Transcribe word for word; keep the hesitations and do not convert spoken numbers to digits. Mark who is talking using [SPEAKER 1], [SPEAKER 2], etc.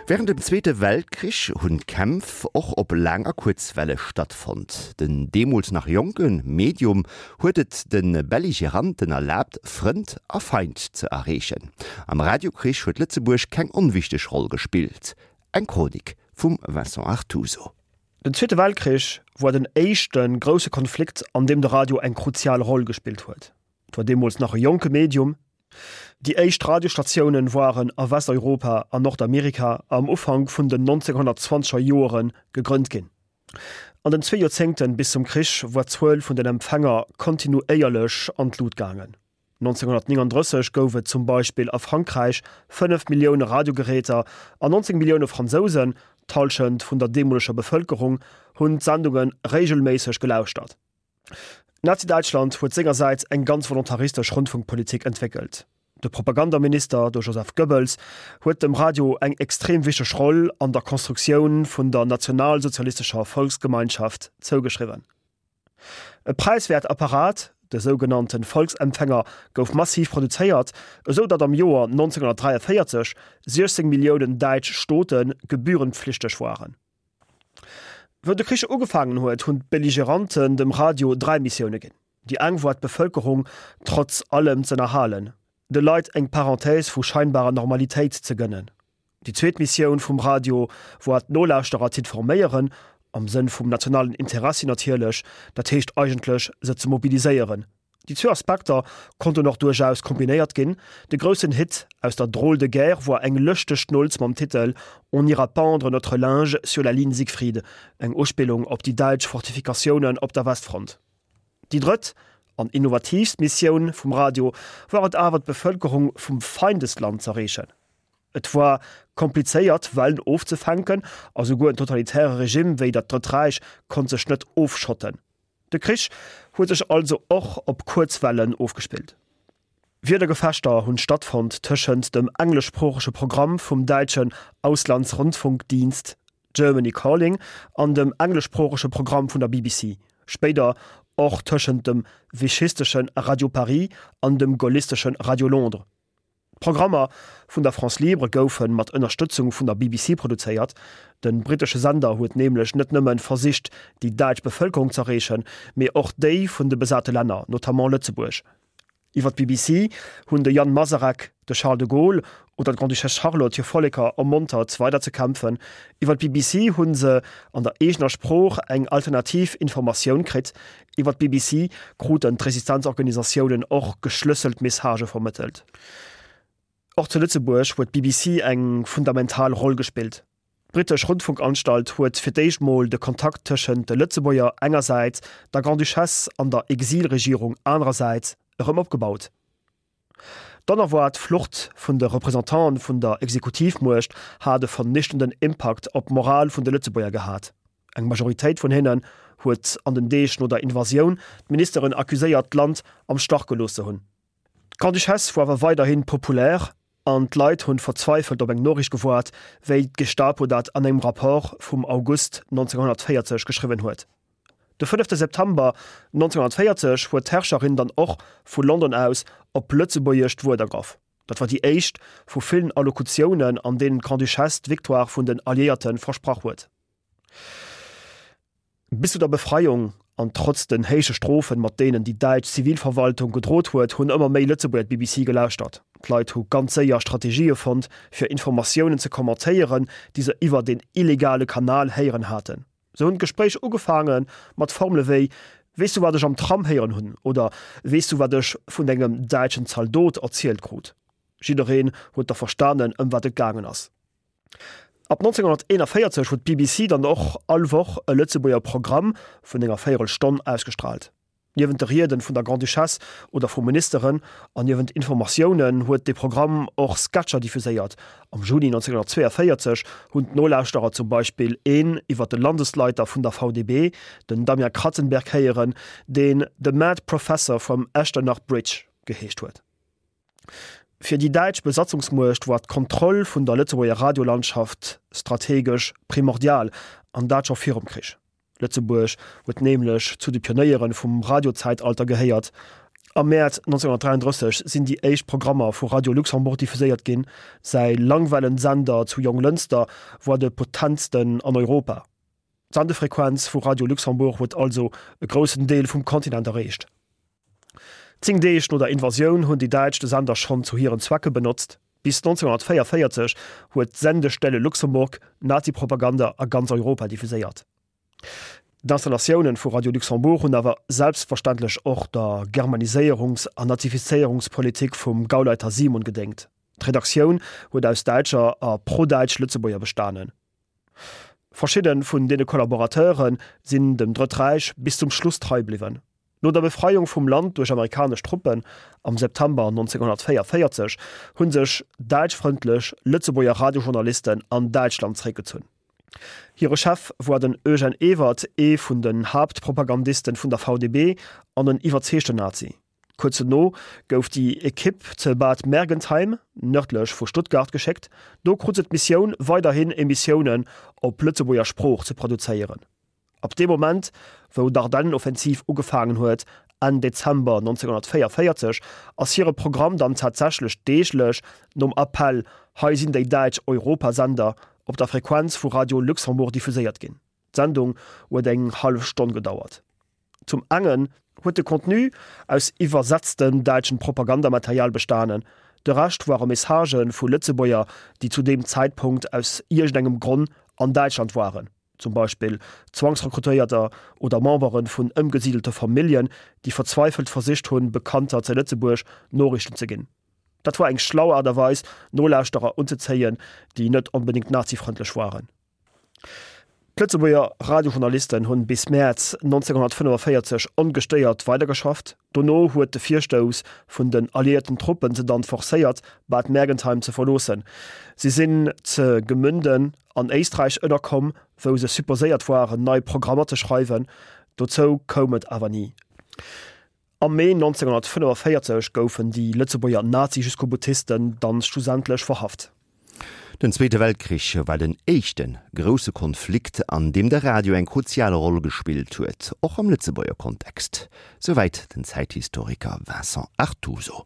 [SPEAKER 1] Wärend dem Zweete Weltkrich hunn d'Kämpf och op Laang a Kuerzwelle stattfonnt. Den deemools nach jonke Medium huet et de Belligeranten erlaabt, Frënd a Feind ze erreechen. Am Radiokrich huet Lëtzebuerg keng onwichteg Roll gespillt. Eng Chronik vum Vincent Artuso.
[SPEAKER 2] Den Zweete Weltkrich war den éischte grousse Konflikt, an deem de Radio eng kruzial Roll gespillt huet. Et war deemools nach e jonke Medium. Déi éischt Radiostatiounen waren a Westeuropa an Nordamerika am Ufank vun den nonzénghonnertzwanzeger Joere gegrënnt ginn. An den zwee Joerzéngten bis zum Krich war d'Zuel vun den Empfänger kontinuéierlech an d'Lut gaangen. nonzénghonnertnénganddrësseg gouf et zum Beispill a Frankräich fënnef Millioune Radiogeräter an nonzéng Millioune Fransousen, d'Hallschent vun der deemoleger Bevëlkerung, hunn d'Sendunge reegelméisseg gelauschtert. Nazi-Däitschland huet sengersäits eng ganz volontaristesch Rundfunkpolitik entwéckelt. De Propagandaminister, de Joseph Goebbels, huet dem Radio eng extrem wichteg Roll an der Konstruktioun vun der nationalsozialistescher Volksgemeinschaft zougeschriwwen. E präiswäert Apparat, de sougenannte Volksempfänger, gouf massiv produzéiert, esou datt am Joer nonzénghonnertdräiavéierzeg siechzéng Milliounen däitsch Stote gebührenpflichteg waren. Wou de Krich ugefaangen huet, hunn d'Belligeranten dem Radio dräi Missioune ginn. Déi eng war d'Bevëlkerung trotz allem z'ënnerhalen, de Leit eng Parenthèse vu scheinbarer Normalitéit ze gënnen. Déi zweet Missioun vum Radio war d'Nolauschterer z'informéieren, am Sënn vum nationalen Interessi natierlech, dat heescht eigentlech se ze mobiliséieren. Déi zwee Aspekter konnten och duerchaus kombinéiert ginn. De groussen Hit aus der Drôle de guerre war eng lëschteg Schnulz mam Titel On ira pendre notre linge sur la ligne Siegfried, eng Uspillung op déi däitsch Fortifikatiounen op der Westfront. Déi drëtt an innovatiivst Missioun vum Radio war et awer d'Bevëlkerung vum Feindesland z'erreechen. Et war komplizéiert Wellen ofzefänken a souguer en totalitäre Regime wéi dat Drëtt Räich konnt sech net ofschotten. De Krich huet sech also och op Kuerzwellen ofgespillt. Wierdergefechter hunn stattfonnt tëschent dem engleschsproochege Programm vum däitschen Auslandsrundfunkdienst Germany Calling an dem engleschsproochege Programm vun der B B C, spéider och tëschent dem vichystesche Radio Paris an dem gaullistesche Radio Londres. D'Programmer vun der France Libre goufe mat Ënnerstëtzung vun der B B C produzéiert. De brittesche Sender huet nämlech net nëmme versicht, déi däitsch Bevëlkerung z'erreechen, mee och déi vun de besate Länner, notamment Lëtzebuerg. Iwwer d'B B C hunn de Jan Masaryk, de Charles de Gaulle oder d'Grande-Duchesse Charlotte hir Volleker ermontert, weider ze kämpfen. Iwwer d'B B C hu se an der eegener Sprooch eng alternativ Informatioun kritt. Iwwer d'B B C kruten d'Resistenzorganisatiounen och geschlësselt Messagë vermëttelt. Och zu Lëtzebuerg huet d'B B C eng fundamental Roll gespillt. D'Brittesch Rundfunkanstalt huet fir d'éischt mol de Kontakt tëschent de Lëtzebuerger engersäits, der Grande-Duchesse an der Exilregierung anerersäits erëm opgebaut. D'onerwaart Flucht vun de Representanten vun der Exekutivmuecht hat e vernichtenden Impakt op d'Moral vun de Lëtzebuerger gehat. Eng Majoritéit vun hinnen huet an den Deeg no der Invasioun d'Ministeren accuséiert, d'Land am Stach gelooss ze hunn. D'Grande-Duchesse war awer weiderhi populär an d'Leit hunn verzweifelt op eng Noriicht gewaart, wéi d'Gestapo dat an engem Rapport vum August nonzénghonnertvéierzeg geschriwwen huet. De fënnefte September nonzénghonnertvéierzeg huet d'Herrscherin dann och vu London aus op Lëtzebuergesch d'Wuert ergraff. Dat war déi éischt vu villen Allokutiounen, an deenen d'Grande-Duchesse d'Victoire vun den Alliéierte versprach huet. Bis zu der Befreiung an trotz den héije Strofen, mat deenen déi däitsch Zivilverwaltung gedrot huet, hunn ëmmer méi Lëtzebuerger d'B B C gelauschtert. D'Leit hu ganz séier Strategië fonnt, fir Informatiounen ze kommentéieren, déi se iwwer den illegale Kanal héieren haten. Sou hunn d'Gespréich ugefaange mat Formele wéi Weess du wat ech am Tram héieren hunn? Oder Weess du wat ech vun engem däitschen Zaldot erzielt krut? Jiddereen huet da verstanen, ëm wat et gaangen ass. Ab nonzénghonnerteenavéierzeg huet d'B B C dann och all Woch e Lëtzebuerger Programm vun enger Véierelstonn ausgestraalt. Niewent de Rieden vun der Grande-Duchesse oder vu Ministeren an niewent Informatiounen huet de Programm och Sketcher diffuséiert. Am Juni nonzénghonnertzweeënvéierzeg hunn d'Nolauschterer zum Beispill een iwwer de Landesleiter vun der V D B, den Damian Kratzenberg, héieren, deen The Mad Professor from Echternach Bridge geheescht huet. Fir déi däitsch Besatzungsmuecht war d'Kontroll vun der Lëtzebuerger Radiolandschaft strategesch primordial, an dat scho virum Krich. Lëtzebuerg huet nämlech zu de Pionéiere vum Radiozäitalter gehéiert Am März neunzehnhunnertdräianddrësseg sinn déi éischt Programmer vu Radio Luxembourg diffuséiert ginn. Säi Langwellensender zu Jonglënster war de potentsten an Europa. D'Sendefrequenz vu Radio Luxembourg huet also e groussen Deel vum Kontinent erreecht. Zéng Deeg no der Invasioun hunn déi Däitsch de Sender schonn zu hiren Zwecke benotzt. Bis neunzehnhunnertvéiervéierzeg huet d'Sendestelle Luxemburg Nazipropaganda a ganz Europa diffuséiert. D'Installatiounen vu Radio Luxembourg hunn awer selbstverständlech och der Germaniséierungs an Nazifizéierungspolitik vum Gauleiter Simon gedéngt. D'Redaktioun huet aus däitscher a pro-däitsch Lëtzebuerger bestanen. Verschidde vun deene Kollaborateure sinn dem Drëtt Räich bis zum Schluss trei bliwwen. No der Befreiung vum Land duerch amerikanesch Truppen am September neunzehnhunnertvéiervéierzeg hu sech däitschfrëndlech Lëtzebuerger Radiojournalisten an Däitschland zeréckgezunn. Hire Chef war den Eugène Ewert, ee vun den Haaptpropagandisten vun der V D B an en iwwerzeegten Nazi. Kuerz dono gouf déi Ekipp ze Bad Mergentheim, nërdlech vu Stuttgart, geschéckt. Do krut se d'Missioun, weiderhin Emissiounen op Lëtzebuerger Sprooch ze produzéieren. Ab deem Moment, wou d'Ardennenoffensiv ugefaangen huet, Enn Dezember neunzehnhunnertvéiervéierzeg, ass hire Programm dann tatsächlech deeglech nom Appell Hei sinn déi däitsch Europasender op der Frequenz vu Radio Luxembourg diffuséiert ginn. D'Sendung huet eng hallef Stonn gedauert. Zum engen huet de Contenu aus iwwersetztem däitschen Propagandamaterial bestanen, de Rescht ware Messagë vu Lëtzebuerger, déi zu deem Zäitpunkt aus iergendengem Gronn an Däitschland waren, zum Beispill Zwangsrekrutéierter oder Membere vun ëmgesidelte Familljen, déi verzweifelt versicht hunn, Bekannter zu Lëtzebuerg Noriichten ze ginn. Dat war eng schlau Aart a Weis, Nolauschterer unzezéien, déi net onbedéngt nazifrëndlech waren. D'Lëtzebuerger Radiojournalisten hunn bis Mäerz neunzehnhunnertfënnefavéierzeg ongestéiert weidergeschafft. Dono huet de Virstouss vun den alliéierten Truppen se dann forcéiert, Bad Mergentheim ze verloossen. Si sinn ze Gemünden an Éisträich ënnerkomm, wou se supposéiert waren, nei Programmer ze schreiwen. Dozou koum et awer ni. Am Mee neunzehnhunnertfënnefavéierzeg goufen déi Lëtzebuerger Nazi-Jusqu'au-boutisten dann schlussendlech verhaft.
[SPEAKER 1] Den Zweete Weltkrich war den éischte grousse Konflikt, an deem de Radio eng kruzial Roll gespillt huet, och am Lëtzebuerger Kontext. Souwäit den Zäithistoriker Vincent Artuso.